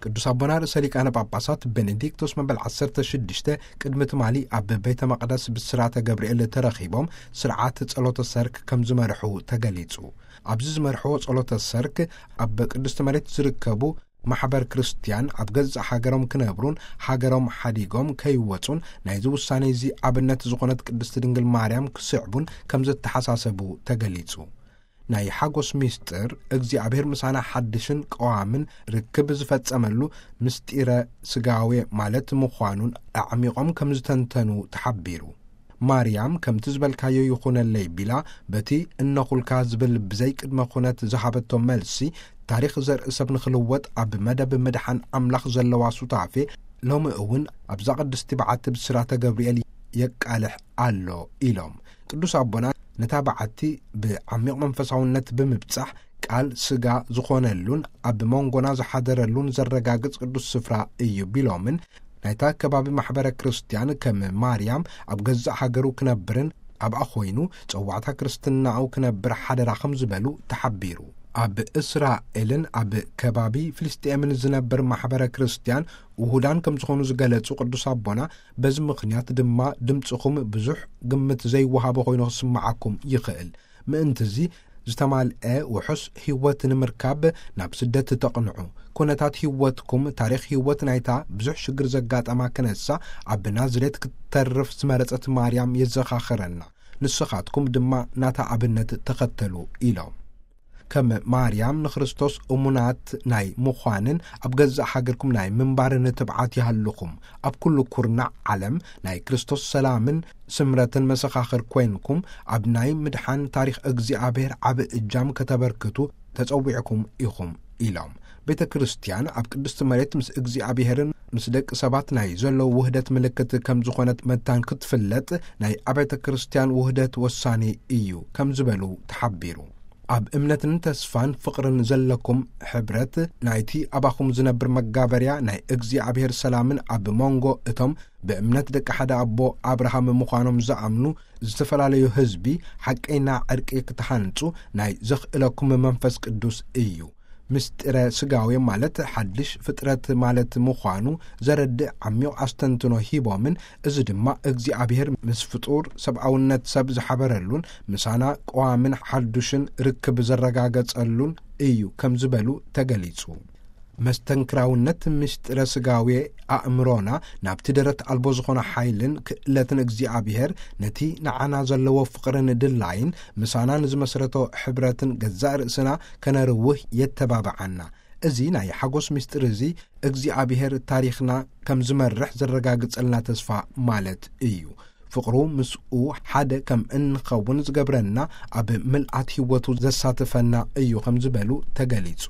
ቅዱስ ኣቦና ርእሰ ሊቃነ ጳጳሳት ቤኔዲክቶስ መበል ዓሰርተ ሽዱሽተ ቅድሚ ትማሊ ኣብ ቤተ መቕደስ ብስራተ ገብርኤል ተረኺቦም ስርዓት ጸሎተ ሰርክ ከም ዝመርሑ ተገሊጹ። ኣብዚ ዝመርሕዎ ጸሎተ ሰርክ ኣብ ቅድስቲ መሬት ዝርከቡ ማሕበር ክርስቲያን ኣብ ገዛእ ሃገሮም ክነብሩን ሃገሮም ሓዲጎም ከይወጹን ናይዚ ውሳኔ እዚ ኣብነት ዝኾነት ቅድስቲ ድንግል ማርያም ክስዕቡን ከም ዘተሓሳሰቡ ተገሊጹ። ናይ ሓጎስ ሚስጥር እግዚኣብሔር ምሳና ሓድሽን ቀዋምን ርክብ ዝፈጸመሉ ምስጢረ ስጋዌ ማለት ምዃኑን ኣዕሚቖም ከም ዝተንተኑ ተሓቢሩ። ማርያም ከምቲ ዝበልካዮ ይኹነለይ ቢላ በቲ እነኹልካ ዝብል ብዘይ ቅድመ ኩነት ዝሃበቶ መልሲ ታሪኽ ዘርኢ ሰብ ንኽልወጥ ኣብ መደብ ምድሓን ኣምላኽ ዘለዋ ሱታፌ ሎሚ እውን ኣብዛ ቅድስቲ በዓቲ ብስራተ ገብርኤል የቃልሕ ኣሎ ኢሎም። ቅዱስ ኣቦና ነታ በዓቲ ብዓሚቕ መንፈሳውነት ብምብጻሕ ቃል ስጋ ዝኾነሉን ኣብ መንጎና ዝሓደረሉን ዘረጋግጽ ቅዱስ ስፍራ እዩ ቢሎምን ናይታ ከባቢ ማሕበረ ክርስቲያን ከም ማርያም ኣብ ገዛእ ሃገሩ ክነብርን ኣብኣ ኮይኑ ጸዋዕታ ክርስትናኡ ክነብር ሓደራ ከም ዝበሉ ተሓቢሩ። ኣብ እስራኤልን ኣብ ከባቢ ፍልስጤምን ዝነብር ማሕበረ ክርስቲያን ውሁዳን ከም ዝኾኑ ዝገለጹ ቅዱስ ኣቦና በዚ ምኽንያት ድማ ድምጽኹም ብዙሕ ግምት ዘይወሃቦ ኮይኑ ክስምዓኩም ይኽእል። ምእንትዚ ዝተማልአ ውሑስ ህይወት ንምርካብ ናብ ስደት ተቕንዑ። ኩነታት ህይወትኩም ታሪኽ ህይወት ናይታ ብዙሕ ሽግር ዘጋጠማ ክነሳ ኣብ ናዝሬት ክትተርፍ ዝመረጸት ማርያም የዘኻኽረና። ንስኻትኩም ድማ ናታ ኣብነት ተኸተሉ ኢሎም። ከም ማርያም ንክርስቶስ እሙናት ናይ ምዃንን ኣብ ገዛእ ሃገርኩም ናይ ምንባርን ትብዓት ይሃልኹም። ኣብ ኩሉ ኩርናዕ ዓለም ናይ ክርስቶስ ሰላምን ስምረትን መሰኻኽር ኮይንኩም ኣብ ናይ ምድሓን ታሪኽ እግዚኣብሔር ዓቢ እጃም ከተበርክቱ ተጸዊዕኩም ኢኹም ኢሎም። ቤተ ክርስቲያን ኣብ ቅድስቲ መሬት ምስ እግዚኣብሔርን ምስ ደቂ ሰባት ናይ ዘለዉ ውህደት ምልክት ከም ዝኾነት መታን ክትፍለጥ ናይ ኣብያተ ክርስቲያን ውህደት ወሳኒ እዩ ከም ዝበሉ ተሓቢሩ። ኣብ እምነትን ተስፋን ፍቕርን ዘለኩም ሕብረት ናይቲ ኣባኹም ዝነብር መጋበርያ ናይ እግዚኣብሔር ሰላምን ኣብ መንጎ እቶም ብእምነት ደቂ ሓደ ኣቦ ኣብርሃም ምዃኖም ዝኣምኑ ዝተፈላለዩ ህዝቢ ሓቀይና ዕርቂ ክትሃንጹ ናይ ዘኽእለኩም መንፈስ ቅዱስ እዩ። ምስጢረ ስጋዌ ማለት ሓድሽ ፍጥረት ማለት ምዃኑ ዘረድእ ዓሚቕ ኣስተንትኖ ሂቦምን፣ እዚ ድማ እግዚኣብሔር ምስ ፍጡር ሰብኣውነት ሰብ ዝሓበረሉን ምሳና ቀዋምን ሓዱሽን ርክብ ዘረጋገጸሉን እዩ ከም ዝበሉ ተገሊጹ። መስተንክራውነት ምስጢረ ስጋዌ ኣእምሮና ናብቲ ደረት ኣልቦ ዝኾነ ሓይልን ክእለትን እግዚኣብሔር ነቲ ንዓና ዘለዎ ፍቕርን ድላይን ምሳና ንዝመስረቶ ሕብረትን ገዛእ ርእስና ከነርውህ የተባብዓና። እዚ ናይ ሓጎስ ምስጢር እዚ እግዚኣብሔር ታሪኽና ከም ዝመርሕ ዘረጋግጸልና ተስፋ ማለት እዩ። ፍቕሩ ምስኡ ሓደ ከም እንኸውን ዝገብረና ኣብ ምልኣት ህይወቱ ዘሳትፈና እዩ ከም ዝበሉ ተገሊጹ።